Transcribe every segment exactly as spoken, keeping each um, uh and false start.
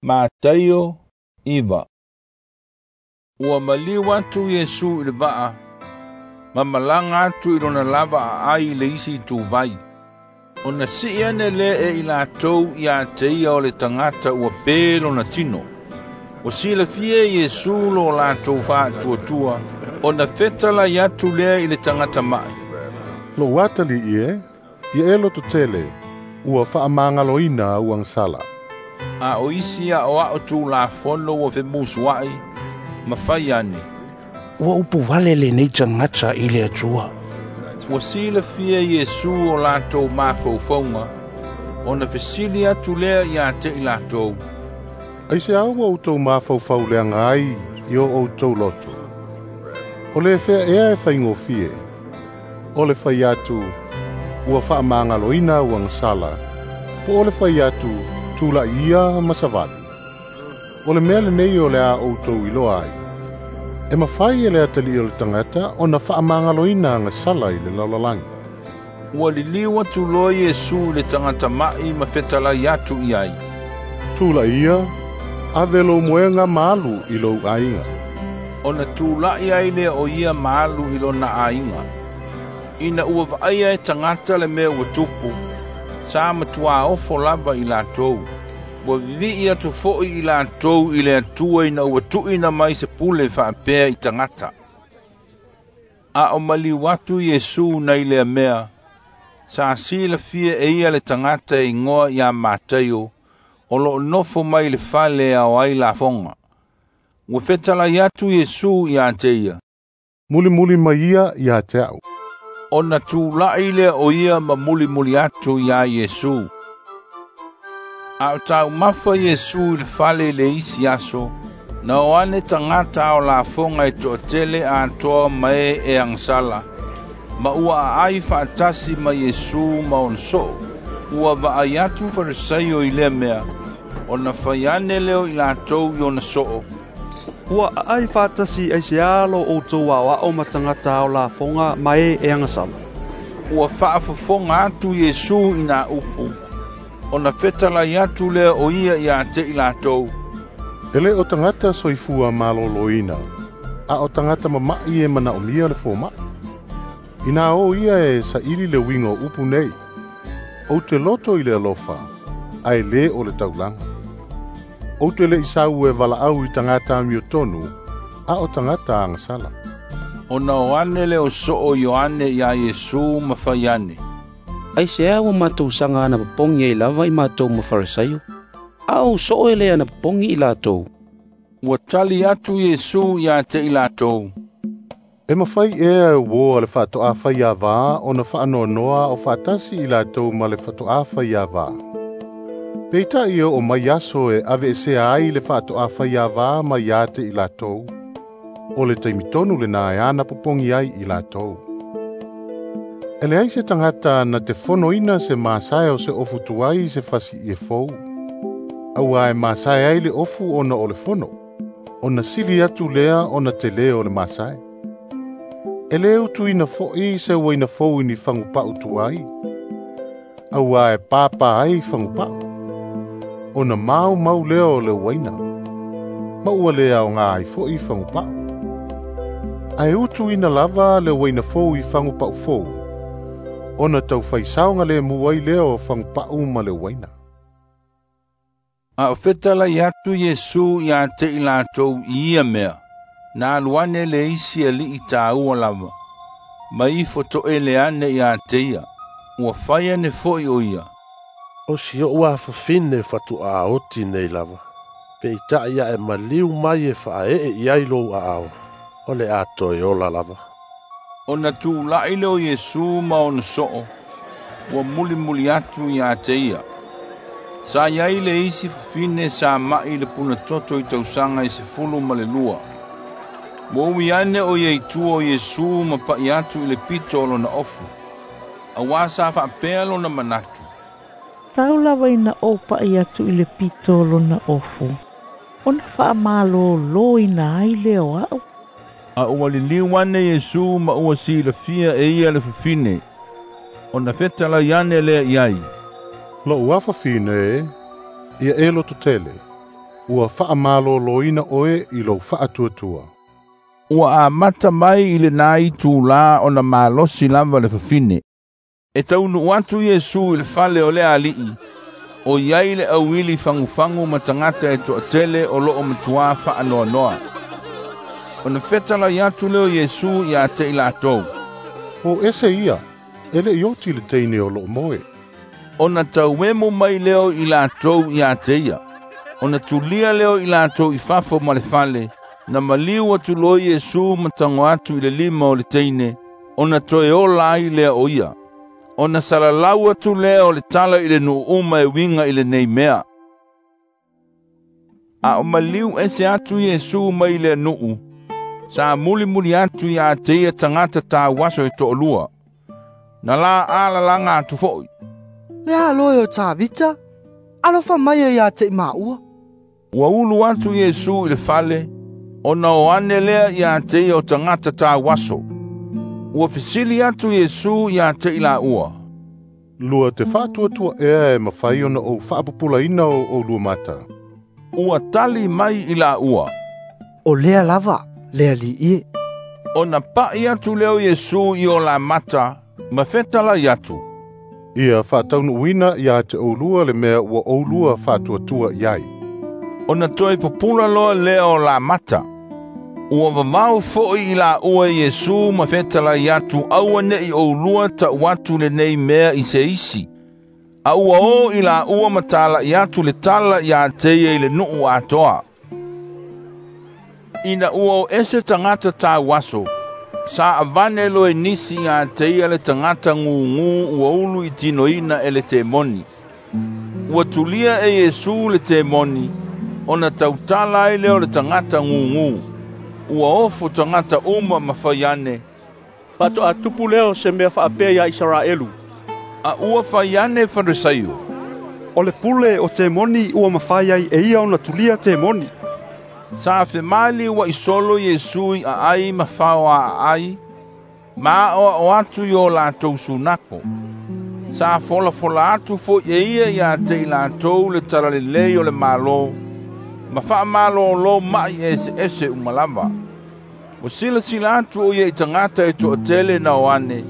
Mataio iva. Ua maliu atu Iesu i le vaa, ma malaga atu i lona lava aai i le isi ituvai. Ona sii ane lea e i latou ia te ia o le tagata ua pe lona tino. Ua silafia e Iesu lo latou faatuatua, ona fetalai atu lea i le tagata ma'i. Lou atalii e, ia e lototele, ua faamagaloina au agasala. A o isi aoao tulafono ua femusuai, ma fai ane. Ua upu vale lenei tagata i le Atua. Ua silafia Iesu o latou mafaufauga, ona fesili atu lea ia te i latou. Aiseā ua outou mafaufau leaga ai i o outou loto? O le fea ea e faigofie, o le fai atu, ua faamagaloina au agasala, po o le fai atu, tula'i ia ma savali. O le mea lenei o le a outou iloa ai, e mafai e le atalii o le tagata ona faamagaloina agasala i le lalolagi. Ua liliu atu loa Iesu i le tagata ma'i ma fetalai atu i ai. Tula'i ia, ave lou moega ma alu i lou aiga. Ona tula'i ai lea o ia ma alu i lona aiga. Ina ua vaaia e tagata le mea ua tupu, sa matua ofo lava i latou. Ua vivii atu fo'i i latou i le Atua ina ua tuuina mai se pule faapea i tagata. A o maliu atu Iesu nai lea mea, sa silafia e ia le tagata e igoa ia Mataio, o loo nofo mai le fale e ao ai lafoga. Ua fetalai atu Iesu ia te ia. Mulimuli mai ia ia te a'u. Ona tula'i lea o ia ma mulimuli atu iā Iesu. A o taumafa Iesu i le fale i le isi aso, na o ane tagata ao lafoga e toatele atoa ma e e agasala, ma ua aai faatasi ma Iesu ma ona soo. Ua vaai atu Farisaio i lea mea, ona fai ane lea o i latou i ona soo. Ua aai faatasi aiseā lo outou aoao ma tagata ao lafoga ma e e agasala. Ua faafofoga atu Iesu i nā upu, ona fetalai atu lea o ia ia te i latou. E le o tagata soifua maloloina, a o tagata mama'i e manaomia le foma'i. Inā o ia e saili le uiga o upu nei, ou te loto i le alofa, ae lē o le taulaga. Ou te le'i sau e valaau i tagata amiotonu, a o tagata agasala. Ona o ane le o soo Ioane iā Iesu ma fai ane. Aiseā ua matou saga anapopogi ai lava i matou ma Farisaio, a ou soo e le anapopogi i latou. Ua tali atu Iesu ia te i latou. E mafai ea e uō a le faatoʻafaiavā ona faanoanoa o faatasi i latou ma le faatoʻafaiavā. Peita'i e oo mai aso e aveesea ai le faatoʻafaiavā mai ia te i latou, o le taimi tonu lenā e anapopogi ai i latou. E leai se tagata na te fonoina se masae o se ofu tuai i se fasiie fou, auā e masae ai le ofu ona o le fono, ona sili atu lea ona telē o le masae. E lē utuina fo'i se uaina fou i ni fagupa'u tuai, auā e pāpā ai fagupa'u, ona maumau lea o le uaina, ma ua lē aogā ai fo'i fagupa'u. Ae utuina lava le uaina fou i fagupa'u fou, ona taufaisao lemu ai lea o fagupa'u ma le uaina. A o fetalai atu Iesu ia te i latou i ia mea, na alu ane le isi alii tāua lava, ma ifo toele ane ia te ia, ua fai ane fo'i o ia. O si o'u afafine fatoʻā oti nei lava, peita'i ae maliu mai e faaee i ai lou aao, o le a toe ola lava. Ona tula'i lea o Iesu ma ona soo, ua mulimuli atu ia te ia. Sa iai le isi fafine sa ma'i le punatoto i tausaga e sefulu ma le lua. Ua ui ane o ia i tua o Iesu ma pa'i atu i le pito o lona ofu, auā sa faapea lona manatu. Tau lava ina ou pa'i atu i le pito o lona ofu, ona faamalōlōina ai lea o a'u. A ua liliu ane Iesu ma ua silafia e ia le fafine, ona fetalai ane lea i ai. Lou afafine e, ia e lototele, Ua faamalōlōina oe i lou faatuatua. Ua amata mai i lenā itulā ona malosi lava le fafine. E taunuu atu Iesu i le fale o le ali'i, o iai le auili fagufagu ma tagata e to'atele o lo'o matuā fa'anoanoa. Ona fetalai atu lea o Iesu iā te i latou. O ese ia, e le'i oti le teine o lo'o moe. Ona tauemu mai lea o i latou iā te ia. Ona tulia lea o i latou i fafo ma le fale, na maliu atu loa Iesu ma tago atu i le lima o le teine, ona toe ola ai lea o ia. Ona salalau atu lea o le tala i le nuu uma e uiga i lenei mea. A o maliu ese atu Iesu mai le nuu, sa mulimuli atu iā te ia tagata tauaso e to'alua. Na la alalaga atu fo'i. Le alo e o Tavita, alofa mai e iā te i maua. Ua ulu atu Iesu i le fale, ona o ane lea iā te ia o tagata tauaso. Ua fesili atu Iesu iā te i laua. Lua te faatuatua ea e mafai ona ou faapupulaina o oulua mata. Ua tali mai i laua. O lea lava, le ali'i e. Ona pa'i atu lea o Iesu i o la mata, ma fetalai atu. Ia faataunuuina iā te oulua le mea ua oulua faatuatua i ai. Ona toe pupula loa lea o la mata. Ua vavao fo'i i laua Iesu ma fetalai atu aua ne'i oulua ta'u atu lenei mea i se isi. A ua o i laua ma tala'i atu le tala iā te ia i le nuu atoa. Ina ua o ese tagata tauaso, sa avane loa e nisi iā te ia le tagata gugū ua ulu i tinoina e le temoni. Ua tulia e Iesu le temoni, ona tautala ai lea o le tagata gugū. Ua ofo tagata uma ma fai ane. Faato'a tupu lea o se mea fa'apea iā Isaraelu. A ua fai ane Farisaio. O le pule o temoni ua mafai ai e ia ona tulia temoni. Sa femaliua'i solo Iesu i aai ma faoaa'ai, ma aʻoaʻo atu i o latou sunako. Sa folafola atu fo'i e ia iā te i latou le talalelei o le Mālō, ma fa'amalōlō ma'i eseese uma lava. Ua silasila atu o ia i tagata e to'atele na o ane,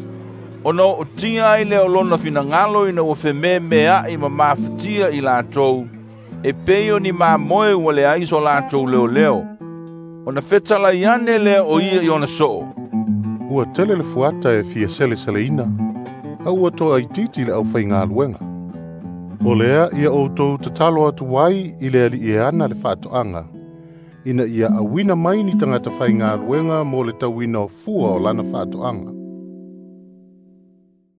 ona o'otia ai lea o lona finagalo ina ua fememea'i ma mafatia i latou, e pei o ni mamoe ua leai so latou leoleo. Ona fetalai ane lea o ia i ona so'o. Ua tele le fuata e fia seleseleina, a ua to'aitiiti le aufaigaluega. O lea ia outou tatalo atu ai i le ali'i e ana le fa'ato'aga, ina ia auina mai ni tagata faigaluega mo le tauina o fua o lana fa'ato'aga.